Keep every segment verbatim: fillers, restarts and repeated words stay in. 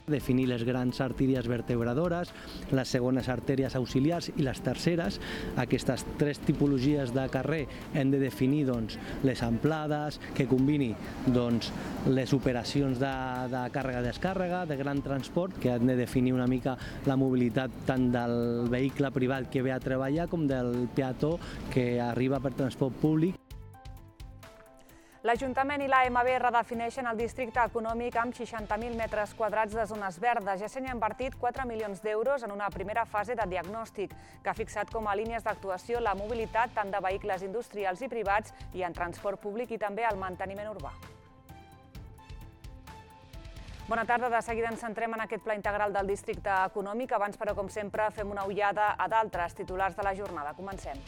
definir les grans artèries vertebradores, les segones artèries auxiliars i les terceres. Aquestes tres tipologies de carrer hem de definir doncs, les amplades, que combini doncs, les operacions de, de càrrega-descàrrega, de gran transport, que han de definir una mica la mobilitat tant del vehicle privat que ve a treballar com del peató que arriba per transport públic. L'Ajuntament i l'A M B redefineixen el districte econòmic amb seixanta mil metres quadrats de zones verdes. Ja s'hi han invertit quatre milions d'euros en una primera fase de diagnòstic que ha fixat com a línies d'actuació la mobilitat tant de vehicles industrials i privats i en transport públic i també el manteniment urbà. Bona tarda, de seguida ens centrem en aquest pla integral del districte econòmic. Abans, però, com sempre, fem una ullada a d'altres titulars de la jornada. Comencem.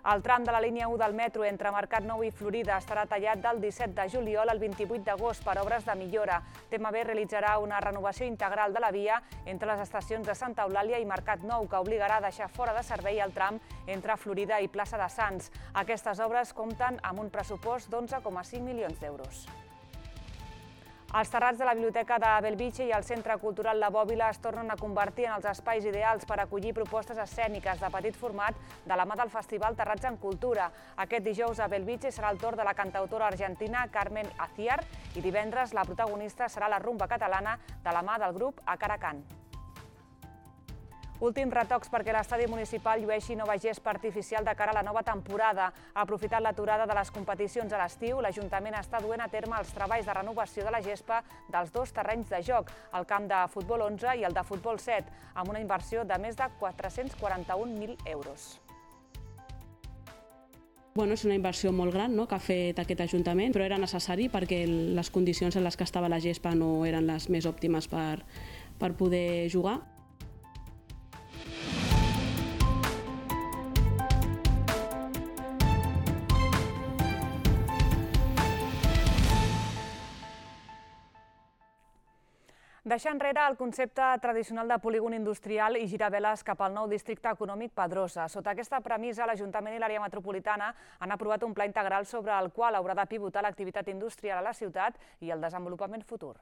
El tram de la línia u del metro entre Mercat Nou i Florida estarà tallat del disset de juliol al vint-i-vuit d'agost per obres de millora. T M B realitzarà una renovació integral de la via entre les estacions de Santa Eulàlia i Mercat Nou, que obligarà a deixar fora de servei el tram entre Florida i Plaça de Sants. Aquestes obres compten amb un pressupost d'onze coma cinc milions d'euros. Els terrats de la Biblioteca de Bellvitge i el Centre Cultural La Bòbila es tornen a convertir en els espais ideals per acollir propostes escèniques de petit format de la mà del Festival Terrats en Cultura. Aquest dijous a Bellvitge serà el torn de la cantautora argentina Carmen Aciar i divendres la protagonista serà la rumba catalana de la mà del grup Acaracán. Últims retocs perquè l'estadi municipal llueixi nova gespa artificial de cara a la nova temporada. Aprofitant l'aturada de les competicions a l'estiu, l'Ajuntament està duent a terme els treballs de renovació de la gespa dels dos terrenys de joc, el camp de futbol onze i el de futbol set, amb una inversió de més de quatre-cents quaranta-un mil euros. Bueno, és una inversió molt gran, no?, que ha fet aquest Ajuntament, però era necessari perquè les condicions en les que estava la gespa no eren les més òptimes per, per poder jugar. Deixar enrere el concepte tradicional de polígon industrial i girar veles cap al nou districte econòmic Pedrosa. Sota aquesta premissa, l'Ajuntament i l'àrea metropolitana han aprovat un pla integral sobre el qual haurà de pivotar l'activitat industrial a la ciutat i el desenvolupament futur.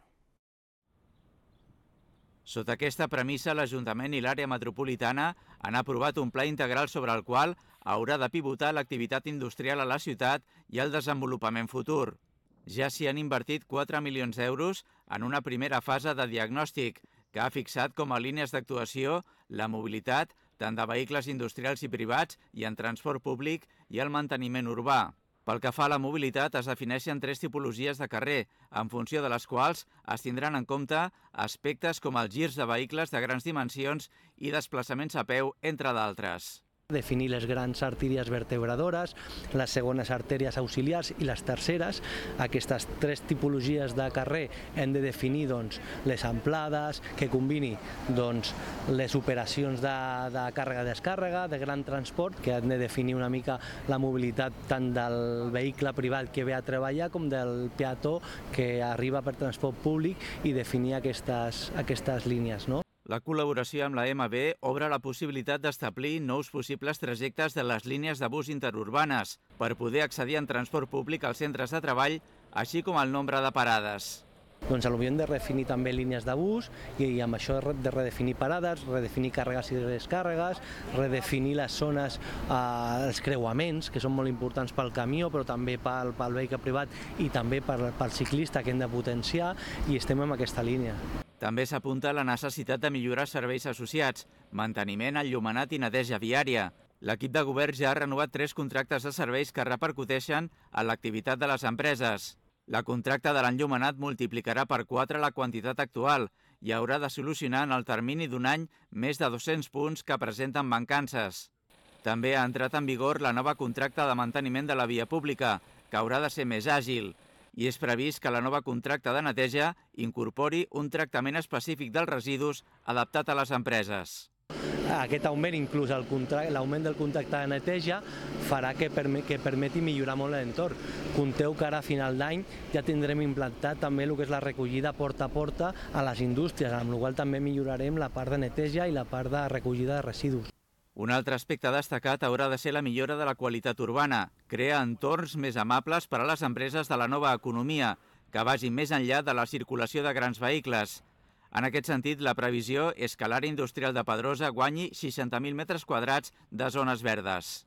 Sota aquesta premissa, l'Ajuntament i l'àrea metropolitana han aprovat un pla integral sobre el qual haurà de pivotar l'activitat industrial a la ciutat i el desenvolupament futur. Ja s'hi han invertit quatre milions d'euros en una primera fase de diagnòstic que ha fixat com a línies d'actuació la mobilitat tant de vehicles industrials i privats i en transport públic i el manteniment urbà. Pel que fa a la mobilitat, es defineixen tres tipologies de carrer, en funció de les quals es tindran en compte aspectes com els girs de vehicles de grans dimensions i desplaçaments a peu, entre d'altres. Definir les grans artèries vertebradores, les segones artèries auxiliars i les terceres. Aquestes tres tipologies de carrer hem de definir doncs, les amplades, que combini doncs, les operacions de, de càrrega-descàrrega, de gran transport, que han de definir una mica la mobilitat tant del vehicle privat que ve a treballar com del peató que arriba per transport públic i definir aquestes, aquestes línies, no? La col·laboració amb la M B obre la possibilitat d'establir nous possibles trajectes de les línies de bus interurbanes per poder accedir en transport públic als centres de treball, així com el nombre de parades. Doncs potser hem de redefinir també línies de bus i amb això de redefinir parades, redefinir càrregues i descàrregues, redefinir les zones, eh, els creuaments, que són molt importants pel camió, però també pel, pel vehicle privat i també pel, pel ciclista, que hem de potenciar, i estem en aquesta línia. També s'apunta la necessitat de millorar serveis associats, manteniment, enllumenat i neteja viària. L'equip de govern ja ha renovat tres contractes de serveis que repercuteixen en l'activitat de les empreses. La contracta de l'enllumenat multiplicarà per quatre la quantitat actual i haurà de solucionar en el termini d'un any més de dos-cents punts que presenten mancances. També ha entrat en vigor la nova contracta de manteniment de la via pública, que haurà de ser més àgil, i és previst que la nova contracta de neteja incorpori un tractament específic dels residus adaptat a les empreses. Aquest augment, inclús l'augment del contracte de neteja, farà que, perme que permeti millorar molt l'entorn. Compteu que ara a final d'any ja tindrem implantat també el que és la recollida porta a porta a les indústries, amb la qual també millorarem la part de neteja i la part de recollida de residus. Un altre aspecte destacat haurà de ser la millora de la qualitat urbana, crear entorns més amables per a les empreses de la nova economia, que vagi més enllà de la circulació de grans vehicles. En aquest sentit, la previsió és que l'àrea industrial de Pedrosa guanyi seixanta mil metres quadrats de zones verdes.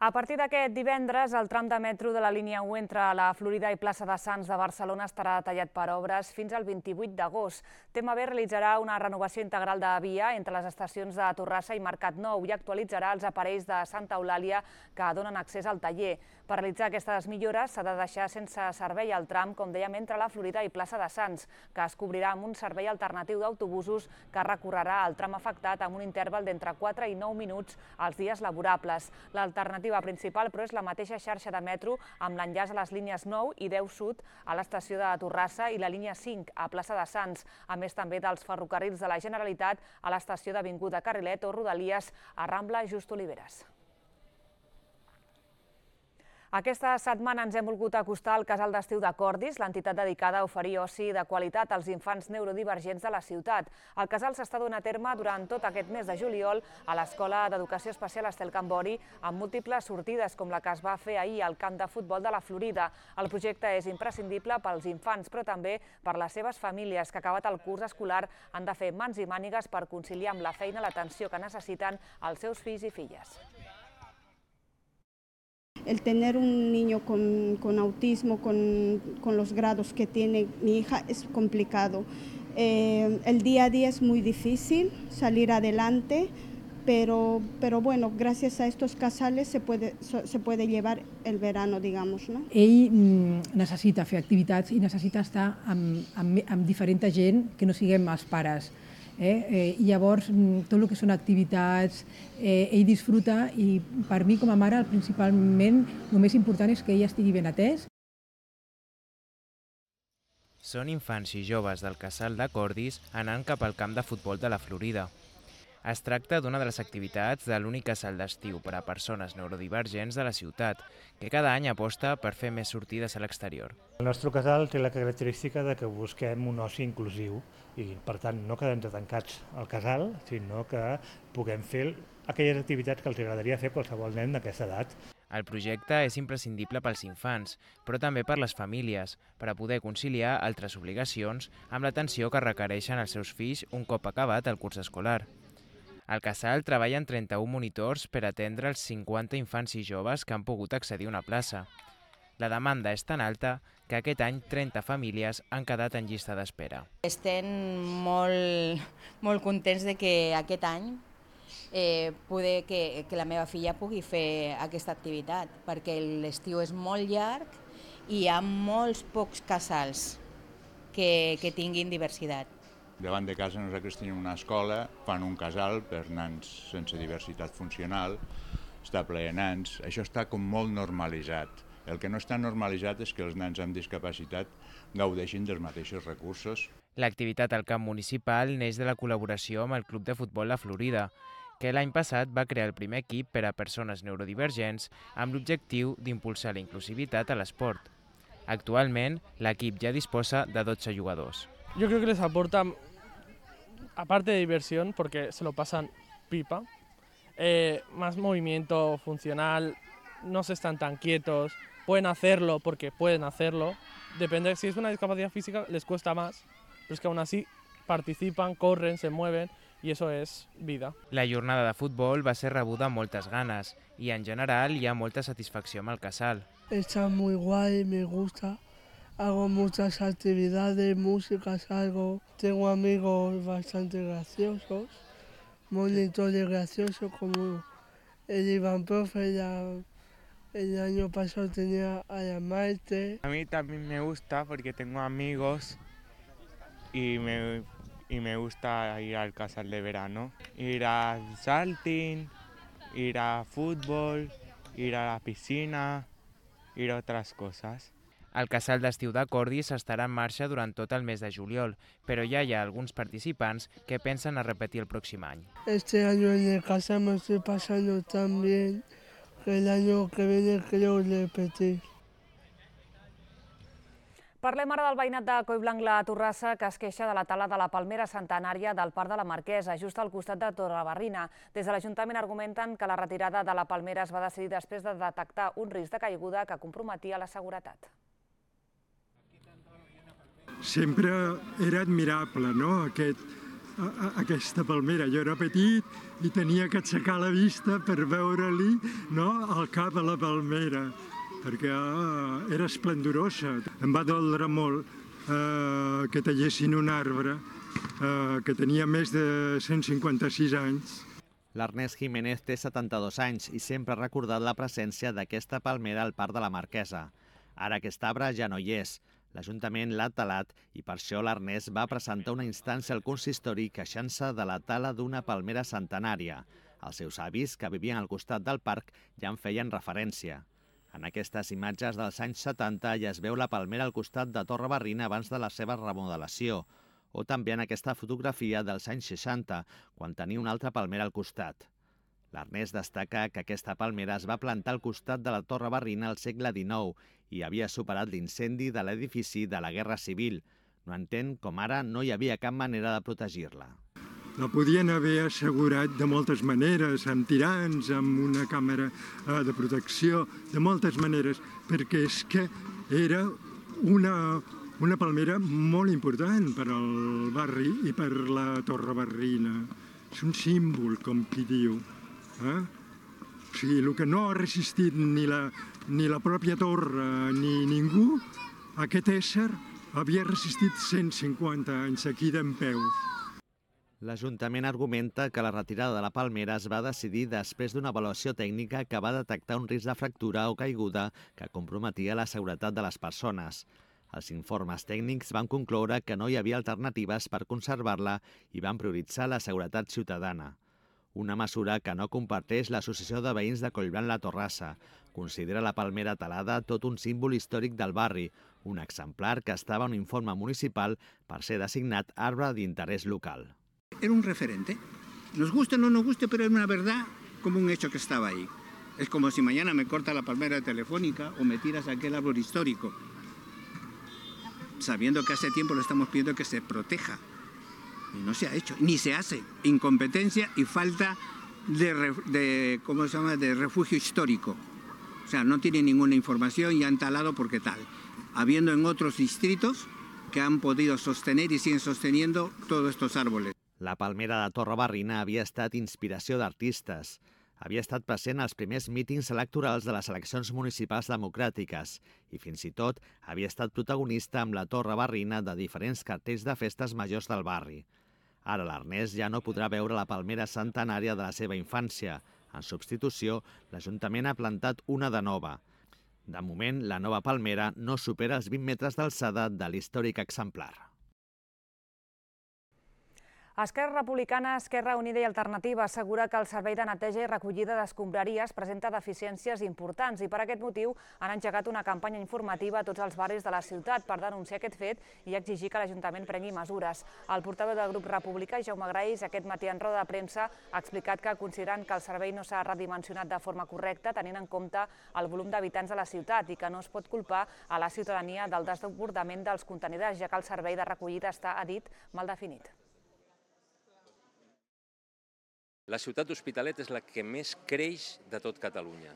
A partir d'aquest divendres, el tram de metro de la línia u entre la Florida i plaça de Sants de Barcelona estarà tallat per obres fins al vint-i-vuit d'agost. T M B realitzarà una renovació integral de via entre les estacions de Torrassa i Mercat Nou i actualitzarà els aparells de Santa Eulàlia que donen accés al taller. Per realitzar aquestes millores s'ha de deixar sense servei el tram, com dèiem, entre la Florida i plaça de Sants, que es cobrirà amb un servei alternatiu d'autobusos que recorrerà el tram afectat amb un interval d'entre quatre i nou minuts als dies laborables. L'alternativa principal, però, és la mateixa xarxa de metro amb l'enllaç a les línies nou i deu sud a l'estació de Torrassa i la línia cinc a plaça de Sants, a més també dels ferrocarrils de la Generalitat a l'estació d'Avinguda Carrilet o Rodalies a Rambla Just Oliveres. Aquesta setmana ens hem volgut acostar al Casal d'Estiu de Cordis, l'entitat dedicada a oferir oci de qualitat als infants neurodivergents de la ciutat. El casal s'està donant a terme durant tot aquest mes de juliol a l'Escola d'Educació Especial Estel Cambori, amb múltiples sortides, com la que es va fer ahir al camp de futbol de la Florida. El projecte és imprescindible pels infants, però també per les seves famílies, que acabat el curs escolar han de fer mans i mànigues per conciliar amb la feina l'atenció que necessiten els seus fills i filles. El tener un niño con, con autismo, con, con los grados que tiene mi hija, es complicado. Eh, el día a día es muy difícil salir adelante, pero, pero bueno, gracias a estos casales se puede, se puede llevar el verano, digamos, no? Ell mm, necessita fer activitats i necessita estar amb, amb, amb diferent gent que no siguem els pares. Eh? Eh, I llavors, tot el que són activitats, eh, ell disfruta i per mi com a mare principalment el més important és que ell estigui ben atès. Són infants i joves del Casal de Cordis anant cap al camp de futbol de la Florida. Es tracta d'una de les activitats de l'únic casal d'estiu per a persones neurodivergents de la ciutat, que cada any aposta per fer més sortides a l'exterior. El nostre casal té la característica de que busquem un oci inclusiu i, per tant, no quedem tancats al casal, sinó que puguem fer aquelles activitats que els agradaria fer a qualsevol nen d'aquesta edat. El projecte és imprescindible pels infants, però també per les famílies, per a poder conciliar altres obligacions amb l'atenció que requereixen els seus fills un cop acabat el curs escolar. Al casal treballen trenta-un monitors per atendre els cinquanta infants i joves que han pogut accedir a una plaça. La demanda és tan alta que aquest any trenta famílies han quedat en llista d'espera. Estem molt, molt contents de que aquest any eh, poder que, que la meva filla pugui fer aquesta activitat, perquè l'estiu és molt llarg i hi ha molts pocs casals que, que tinguin diversitat. Davant de casa nosaltres tenim una escola, fan un casal per nans sense diversitat funcional, està ple de nans, això està com molt normalitzat. El que no està normalitzat és que els nens amb discapacitat gaudeixin dels mateixos recursos. L'activitat al camp municipal neix de la col·laboració amb el Club de Futbol La Florida, que l'any passat va crear el primer equip per a persones neurodivergents amb l'objectiu d'impulsar la inclusivitat a l'esport. Actualment, l'equip ja disposa de dotze jugadors. Yo creo que les aporta, aparte de diversión, porque se lo pasan pipa, eh, más movimiento funcional, no se están tan quietos, pueden hacerlo porque pueden hacerlo. Depende, si es una discapacidad física les cuesta más, pero es que aún así participan, corren, se mueven y eso es vida. La jornada de futbol va ser rebuda amb moltes ganes i en general hi ha molta satisfacció amb el casal. Está muy guay, me gusta. Hago muchas actividades, música, salgo. Tengo amigos bastante graciosos, monitores graciosos como el Iván Profe, ya el año pasado tenía a la Maite. A mí también me gusta porque tengo amigos y me, y me gusta ir al casal de verano. Ir a salting, ir a fútbol, ir a la piscina, ir a otras cosas. El casal d'estiu de Cordis estarà en marxa durant tot el mes de juliol, però ja hi ha alguns participants que pensen a repetir el pròxim any. Este año en el casal me estoy pasando tan bien que el año que viene creo repetir. Parlem ara del veïnat de Collblanc la Torrassa, que es queixa de la tala de la palmera centenària del Parc de la Marquesa, just al costat de Torrebarrina. Des de l'Ajuntament argumenten que la retirada de la palmera es va decidir després de detectar un risc de caiguda que comprometia la seguretat. Sempre era admirable, no?, Aquest, a, aquesta palmera. Jo era petit i tenia que aixecar la vista per veure-li, no?, el cap a la palmera, perquè ah, era esplendorosa. Em va doldre molt eh, que tallessin un arbre eh, que tenia més de cent cinquanta-sis anys. L'Ernest Jiménez té setanta-dos anys i sempre ha recordat la presència d'aquesta palmera al Parc de la Marquesa. Ara aquest arbre ja no hi és. L'Ajuntament l'ha talat i per això l'Ernest va presentar una instància al consistori queixant-se de la tala d'una palmera centenària. Els seus avis, que vivien al costat del parc, ja en feien referència. En aquestes imatges dels anys setanta ja es veu la palmera al costat de Torrebarrina abans de la seva remodelació, o també en aquesta fotografia dels anys seixanta, quan tenia una altra palmera al costat. L'Ernest destaca que aquesta palmera es va plantar al costat de la Torrebarrina al segle dinou i havia superat l'incendi de l'edifici de la Guerra Civil. No entén com ara no hi havia cap manera de protegir-la. La podien haver assegurat de moltes maneres, amb tirants, amb una càmera eh, de protecció, de moltes maneres, perquè és que era una, una palmera molt important per al barri i per la Torrebarrina. És un símbol, com qui diu. Eh? O sigui, el que no ha resistit ni la, ni la pròpia torre ni ningú, aquest ésser havia resistit cent cinquanta anys aquí dempeus. L'Ajuntament argumenta que la retirada de la palmera es va decidir després d'una avaluació tècnica que va detectar un risc de fractura o caiguda que comprometia la seguretat de les persones. Els informes tècnics van concloure que no hi havia alternatives per conservar-la i van prioritzar la seguretat ciutadana. Una mesura que no comparteix l'Associació de Veïns de Collblanc la Torrassa. Considera la palmera talada tot un símbol històric del barri, un exemplar que estava en un informe municipal per ser designat arbre d'interès local. Era un referente. Nos guste o no nos guste, pero era una verdad como un hecho que estaba ahí. Es como si mañana me corta la palmera telefónica o me tiras aquel árbol histórico, sabiendo que hace tiempo le estamos pidiendo que se proteja. Y no se ha hecho, ni se hace. Incompetencia y falta de, de, ¿cómo se llama?, de refugio histórico. O sea, no tiene ninguna información y han talado porque tal. Habiendo en otros distritos que han podido sostener y siguen sosteniendo todos estos árboles. La palmera de Torrebarrina havia estat inspiració d'artistes. Havia estat present als primers mítings electorals de les eleccions municipals democràtiques i fins i tot havia estat protagonista amb la Torrebarrina de diferents cartells de festes majors del barri. Ara l'Ernest ja no podrà veure la palmera centenària de la seva infància. En substitució, l'Ajuntament ha plantat una de nova. De moment, la nova palmera no supera els vint metres d'alçada de l'històric exemplar. Esquerra Republicana, Esquerra Unida i Alternativa assegura que el servei de neteja i recollida d'escombraries presenta deficiències importants i per aquest motiu han engegat una campanya informativa a tots els barris de la ciutat per denunciar aquest fet i exigir que l'Ajuntament prengui mesures. El portaveu del grup republicà, Jaume Graells, aquest matí en roda de premsa ha explicat que consideren que el servei no s'ha redimensionat de forma correcta tenint en compte el volum d'habitants de la ciutat i que no es pot culpar a la ciutadania del desbordament dels contenidors, ja que el servei de recollida està, ha dit, mal definit. La ciutat d'Hospitalet és la que més creix de tot Catalunya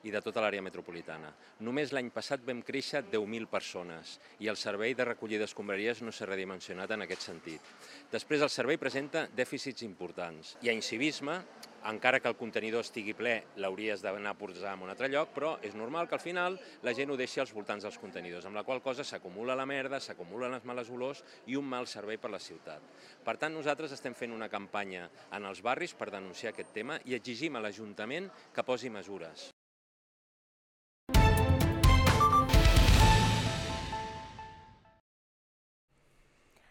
i de tota l'àrea metropolitana. Només l'any passat vam créixer deu mil persones i el servei de recollida d'escombraries no s'ha redimensionat en aquest sentit. Després, el servei presenta dèficits importants. Hi ha incivisme, encara que el contenidor estigui ple, l'hauries d'anar a posar en un altre lloc, però és normal que al final la gent ho deixi als voltants dels contenidors, amb la qual cosa s'acumula la merda, s'acumulen les males olors i un mal servei per la ciutat. Per tant, nosaltres estem fent una campanya en els barris per denunciar aquest tema i exigim a l'Ajuntament que posi mesures.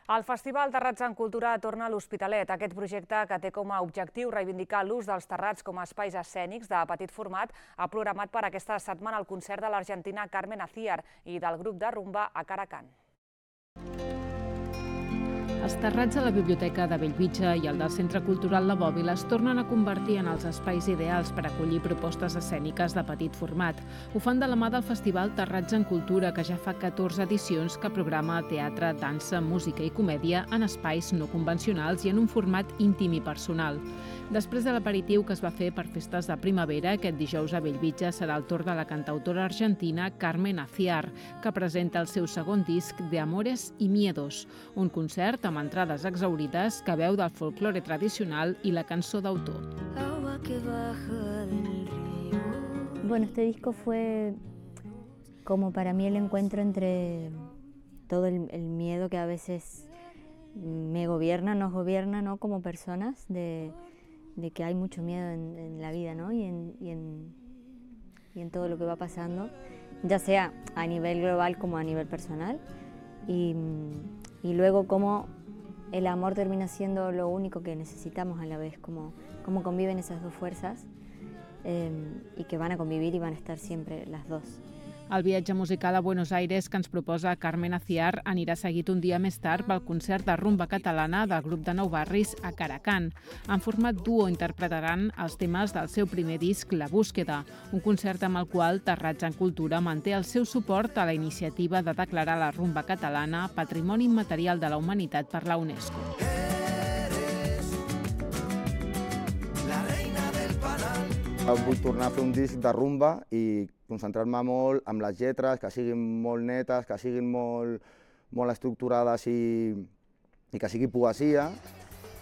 El Festival Terrats en Cultura torna a l'Hospitalet. Aquest projecte, que té com a objectiu reivindicar l'ús dels terrats com a espais escènics de petit format, ha programat per aquesta setmana el concert de l'argentina Carmen Aciar i del grup de rumba A Caracán. Els terrats de la Biblioteca de Bellvitge i el del Centre Cultural La Bòbila es tornen a convertir en els espais ideals per acollir propostes escèniques de petit format. Ho fan de la mà del Festival Terrats en Cultura, que ja fa catorze edicions que programa teatre, dansa, música i comèdia en espais no convencionals i en un format íntim i personal. Després de l'aperitiu que es va fer per festes de primavera, aquest dijous a Bellvitge serà el torn de la cantautora argentina Carmen Aciar, que presenta el seu segon disc de Amores y Miedos, un concert amb entrades exaurides que veu del folklore tradicional i la cançó d'autor. Bueno, este disco fue como para mí el encuentro entre todo el, el miedo que a veces me gobierna, nos gobierna, ¿no? Como personas, de, de que hay mucho miedo en, en la vida, ¿no? y, en, y, en, y en todo lo que va pasando, ya sea a nivel global como a nivel personal. Y, y luego cómo el amor termina siendo lo único que necesitamos a la vez, cómo, cómo conviven esas dos fuerzas eh, y que van a convivir y van a estar siempre las dos. El viatge musical a Buenos Aires que ens proposa Carmen Aciar anirà seguit un dia més tard pel concert de rumba catalana del grup de Nou Barris a Caracan. En format duo interpretaran els temes del seu primer disc, La Búsqueda, un concert amb el qual Terrats en Cultura manté el seu suport a la iniciativa de declarar la rumba catalana Patrimoni Immaterial de la Humanitat per la UNESCO. Vull tornar a fer un disc de rumba i concentrar-me molt amb les lletres, que siguin molt netes, que siguin molt, molt estructurades i, i que sigui poesia,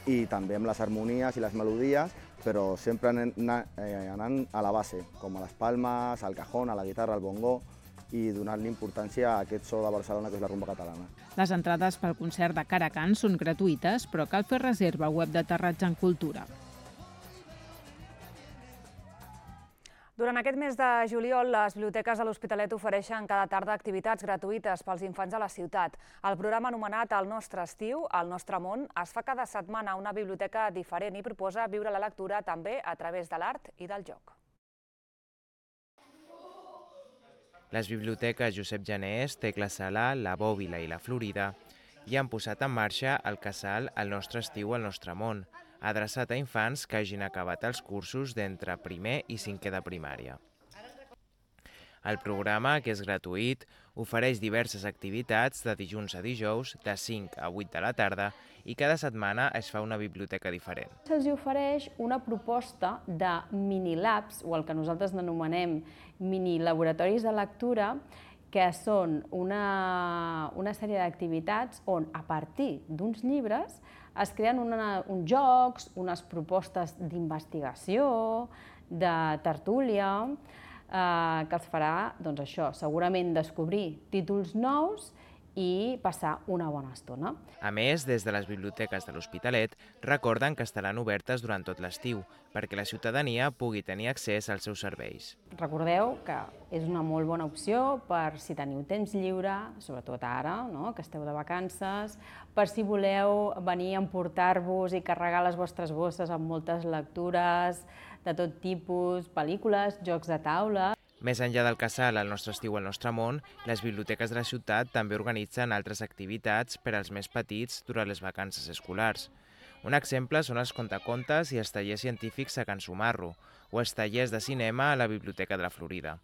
i també amb les harmonies i les melodies, però sempre anant, eh, anant a la base, com a les palmes, al cajón, a la guitarra, al bongo, i donant-li importància a aquest so de Barcelona, que és la rumba catalana. Les entrades pel concert de Caracan són gratuïtes, però cal fer reserva al web de Terrats en Cultura. Durant aquest mes de juliol, les biblioteques de l'Hospitalet ofereixen cada tarda activitats gratuïtes pels infants de la ciutat. El programa anomenat El nostre estiu, El nostre món, es fa cada setmana a una biblioteca diferent i proposa viure la lectura també a través de l'art i del joc. Les biblioteques Josep Janés, Tecla Sala, La Bòbila i La Florida ja han posat en marxa el casal El nostre estiu, El nostre món, adreçat a infants que hagin acabat els cursos d'entre primer i cinquè de primària. El programa, que és gratuït, ofereix diverses activitats de dilluns a dijous, de cinc a vuit de la tarda, i cada setmana es fa una biblioteca diferent. Se'ls ofereix una proposta de mini-labs, o el que nosaltres anomenem mini-laboratoris de lectura, que són una, una sèrie d'activitats on, a partir d'uns llibres, es creen una, uns jocs, unes propostes d'investigació, de tertúlia, eh, que els farà, doncs això, segurament descobrir títols nous i passar una bona estona. A més, des de les biblioteques de l'Hospitalet recorden que estaran obertes durant tot l'estiu perquè la ciutadania pugui tenir accés als seus serveis. Recordeu que és una molt bona opció per si teniu temps lliure, sobretot ara, no?, que esteu de vacances, per si voleu venir a emportar-vos i carregar les vostres bosses amb moltes lectures de tot tipus, pel·lícules, jocs de taula. Més enllà del casal El nostre estiu, El nostre món, les biblioteques de la ciutat també organitzen altres activitats per als més petits durant les vacances escolars. Un exemple són els contacontes i els tallers científics a Can Sumarro, o els tallers de cinema a la Biblioteca de la Florida.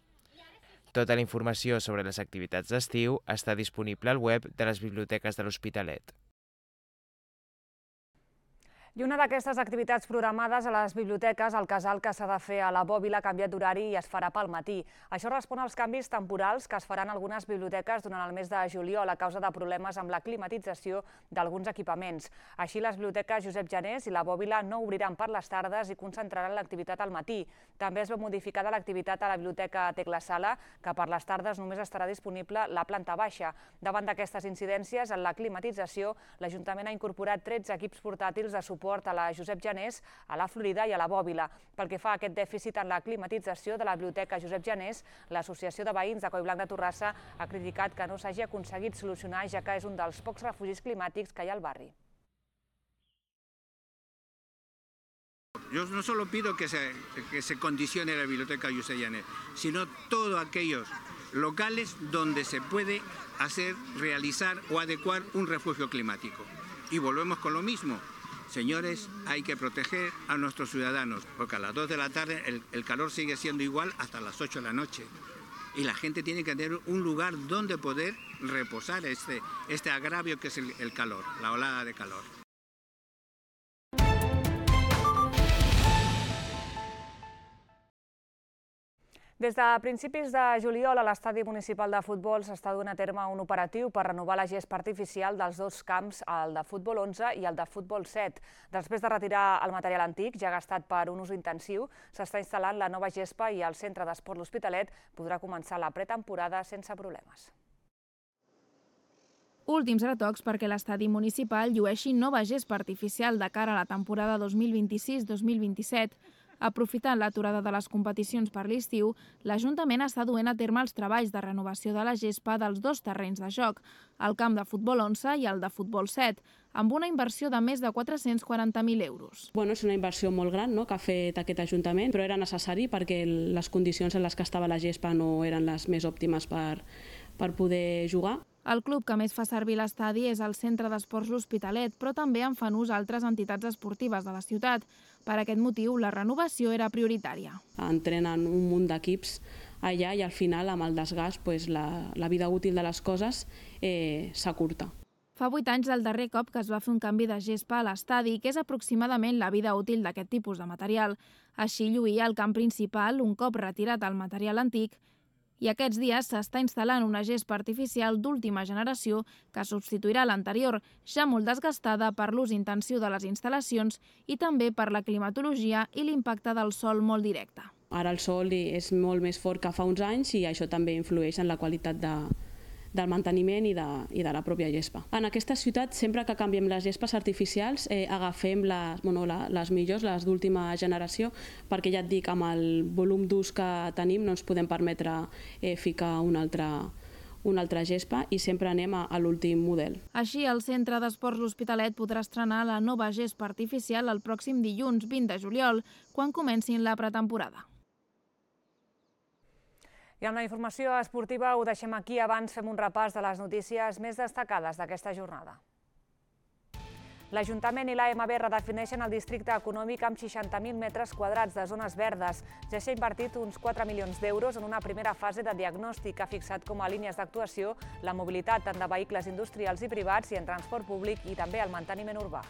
Tota la informació sobre les activitats d'estiu està disponible al web de les biblioteques de l'Hospitalet. I una d'aquestes activitats programades a les biblioteques, el casal que s'ha de fer a la Bòbila ha canviat d'horari i es farà pel matí. Això respon als canvis temporals que es faran a algunes biblioteques durant el mes de juliol a causa de problemes amb la climatització d'alguns equipaments. Així, les biblioteques Josep Janés i la Bòbila no obriran per les tardes i concentraran l'activitat al matí. També es veu modificada l'activitat a la biblioteca Tecla Sala, que per les tardes només estarà disponible la planta baixa. Davant d'aquestes incidències en la climatització, l'Ajuntament ha incorporat tretze equips portàtils de suport a la Josep Janés, a la Florida i a la Bòbila. Pel que fa a aquest dèficit en la climatització de la biblioteca Josep Janés, l'Associació de Veïns de Collblanc de Torrassa ha criticat que no s'hagi aconseguit solucionar, ja que és un dels pocs refugis climàtics que hi ha al barri. Yo no solo pido que se, que se condicione la biblioteca Josep Janés, sino todos aquellos locales donde se puede hacer, realizar o adecuar un refugio climático. Y volvemos con lo mismo. Señores, hay que proteger a nuestros ciudadanos, porque a las dos de la tarde el, el calor sigue siendo igual hasta las ocho de la noche. Y la gente tiene que tener un lugar donde poder reposar este, este agravio que es el, el calor, la olada de calor. Des de principis de juliol a l'estadi municipal de futbol s'està duent a terme un operatiu per renovar la gespa artificial dels dos camps, el de futbol onze i el de futbol set. Després de retirar el material antic, ja gastat per un ús intensiu, s'està instal·lant la nova gespa i el centre d'esport L'Hospitalet podrà començar la pretemporada sense problemes. Últims retocs perquè l'estadi municipal llueixi nova gespa artificial de cara a la temporada dos mil vint-i-sis dos mil vint-i-set. Aprofitant l'aturada de les competicions per l'estiu, l'Ajuntament està duent a terme els treballs de renovació de la gespa dels dos terrenys de joc, el camp de futbol onze i el de futbol set, amb una inversió de més de quatre-cents quaranta mil euros. Bueno, és una inversió molt gran, no?, que ha fet aquest Ajuntament, però era necessari perquè les condicions en les que estava la gespa no eren les més òptimes per, per poder jugar. El club que més fa servir l'estadi és el Centre d'Esports L'Hospitalet, però també en fan ús altres entitats esportives de la ciutat. Per aquest motiu, la renovació era prioritària. Entrenen un munt d'equips allà i al final, amb el desgast, pues, la, la vida útil de les coses eh, s'acurta. Fa vuit anys del darrer cop que es va fer un canvi de gespa a l'estadi, que és aproximadament la vida útil d'aquest tipus de material. Així lluïa el camp principal un cop retirat el material antic, i aquests dies s'està instal·lant una gespa artificial d'última generació que substituirà l'anterior, ja molt desgastada per l'ús intensiu de les instal·lacions i també per la climatologia i l'impacte del sol molt directe. Ara el sol és molt més fort que fa uns anys i això també influeix en la qualitat de, del manteniment i de, i de la pròpia gespa. En aquesta ciutat, sempre que canviem les gespes artificials, eh, agafem les, bueno, la, les millors, les d'última generació, perquè ja et dic, amb el volum d'ús que tenim no ens podem permetre eh, ficar una altra, una altra gespa i sempre anem a, a l'últim model. Així, el Centre d'Esports L'Hospitalet podrà estrenar la nova gespa artificial el pròxim dilluns vint de juliol, quan comencin la pretemporada. I amb la informació esportiva ho deixem aquí. Abans fem un repàs de les notícies més destacades d'aquesta jornada. L'Ajuntament i l'A M B redefineixen el districte econòmic amb seixanta mil metres quadrats de zones verdes. Ja s'ha invertit uns quatre milions d'euros en una primera fase de diagnòstic que ha fixat com a línies d'actuació la mobilitat tant de vehicles industrials i privats i en transport públic i també el manteniment urbà.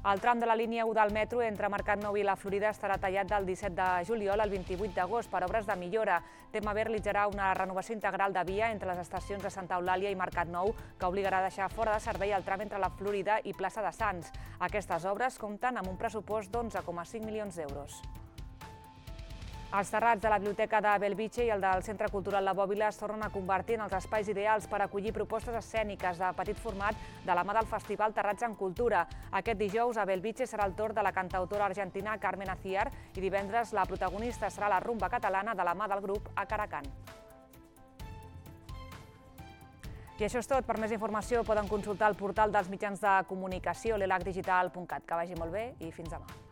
El tram de la línia u del metro entre Mercat Nou i la Florida estarà tallat del disset de juliol al vint-i-vuit d'agost per obres de millora. T M B realitzarà una renovació integral de via entre les estacions de Santa Eulàlia i Mercat Nou, que obligarà a deixar fora de servei el tram entre la Florida i Plaça de Sants. Aquestes obres compten amb un pressupost d'onze coma cinc milions d'euros. Els terrats de la Biblioteca de Bellvitge i el del Centre Cultural La Bòbila es tornen a convertir en els espais ideals per acollir propostes escèniques de petit format de la mà del Festival Terrats en Cultura. Aquest dijous a Bellvitge serà el torn de la cantautora argentina Carmen Aciar i divendres la protagonista serà la rumba catalana de la mà del grup A Caracan. I això és tot. Per més informació poden consultar el portal dels mitjans de comunicació l'elac digital punt cat. Que vagi molt bé i fins demà.